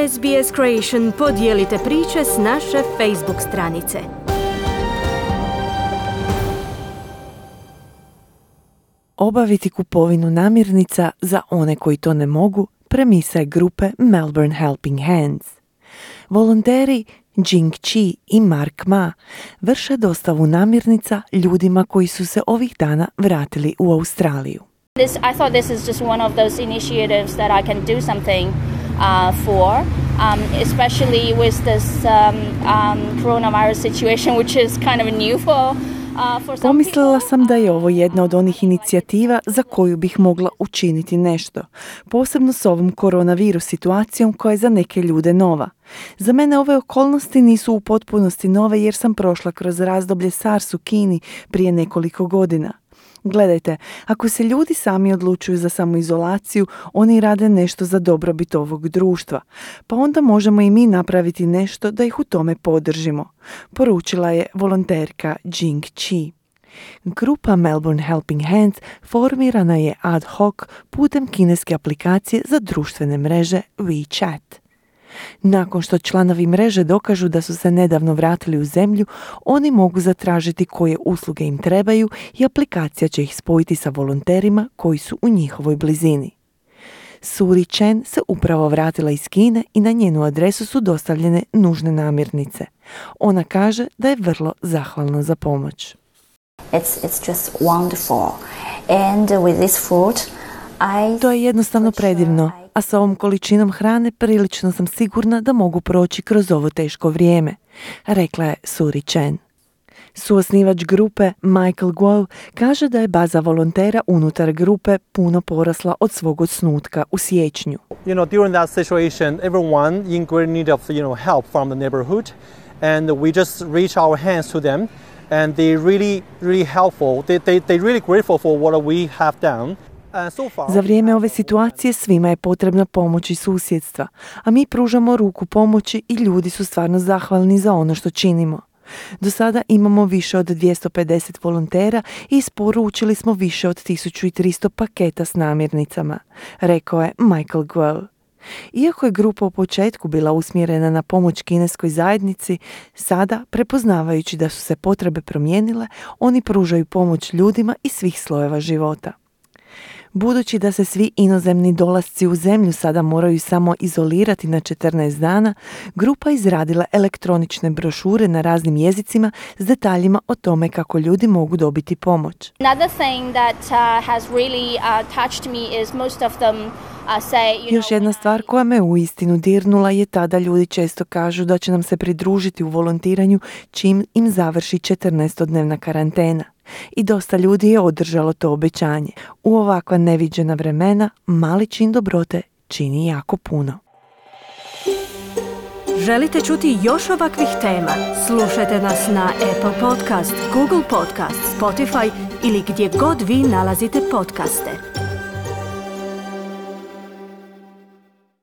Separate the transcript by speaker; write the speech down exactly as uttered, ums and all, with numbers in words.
Speaker 1: S B S Creation podijelite priče s naše Facebook stranice.
Speaker 2: Obaviti kupovinu namirnica za one koji to ne mogu, premisa je grupe Melbourne Helping Hands. Volonteri Jing Chi i Mark Ma vrše dostavu namirnica ljudima koji su se ovih dana vratili u Australiju.
Speaker 3: This, I thought this is just one of those initiatives that I can do something uh, for, um, especially with this um, um, coronavirus situation, which is kind of new for
Speaker 2: Pomislila sam da je ovo jedna od onih inicijativa za koju bih mogla učiniti nešto, posebno s ovom koronavirus situacijom koja je za neke ljude nova. Za mene ove okolnosti nisu u potpunosti nove jer sam prošla kroz razdoblje SARS u Kini prije nekoliko godina. Gledajte, ako se ljudi sami odlučuju za samoizolaciju, oni rade nešto za dobrobit ovog društva, pa onda možemo i mi napraviti nešto da ih u tome podržimo, poručila je volonterka Jing Chi. Grupa Melbourne Helping Hands formirana je ad hoc putem kineske aplikacije za društvene mreže WeChat. Nakon što članovi mreže dokažu da su se nedavno vratili u zemlju, oni mogu zatražiti koje usluge im trebaju i aplikacija će ih spojiti sa volonterima koji su u njihovoj blizini. Suri Chen se upravo vratila iz Kine i na njenu adresu su dostavljene nužne namirnice. Ona kaže da je vrlo zahvalna za pomoć.
Speaker 4: It's, it's just wonderful. And with this food, I...
Speaker 2: To je jednostavno predivno, a sa ovom količinom hrane prilično sam sigurna da mogu proći kroz ovo teško vrijeme, rekla je Suri Chen. Suosnivač grupe Michael Guo kaže da je baza volontera unutar grupe puno porasla od svog osnutka u siječnju.
Speaker 5: You know, during that situation, everyone in great need of, you know, help from the neighborhood, and we just reach our hands to them, and they really, really helpful. They, they, they really grateful for what we have done.
Speaker 2: Za vrijeme ove situacije svima je potrebna pomoć i susjedstva, a mi pružamo ruku pomoći i ljudi su stvarno zahvalni za ono što činimo. Do sada imamo više od dvjesto pedeset volontera i isporučili smo više od tisuću tristo paketa s namirnicama, rekao je Michael Guo. Iako je grupa u početku bila usmjerena na pomoć kineskoj zajednici, sada, prepoznavajući da su se potrebe promijenile, oni pružaju pomoć ljudima iz svih slojeva života. Budući da se svi inozemni dolasci u zemlju sada moraju samo izolirati na četrnaest dana, grupa izradila elektronične brošure na raznim jezicima s detaljima o tome kako ljudi mogu dobiti pomoć.
Speaker 3: Another thing that uh, has really uh, touched me is most of them uh, say, you
Speaker 2: Još jedna stvar koja me uistinu dirnula je ta da ljudi često kažu da će nam se pridružiti u volontiranju čim im završi četrnaestodnevna karantena. I dosta ljudi je održalo to obećanje. U ovakva neviđena vremena mali čin dobrote čini jako puno.
Speaker 1: Želite čuti još ovakvih tema? Slušajte nas na Apple Podcast, Google Podcast, Spotify ili gdje god vi nalazite podcaste.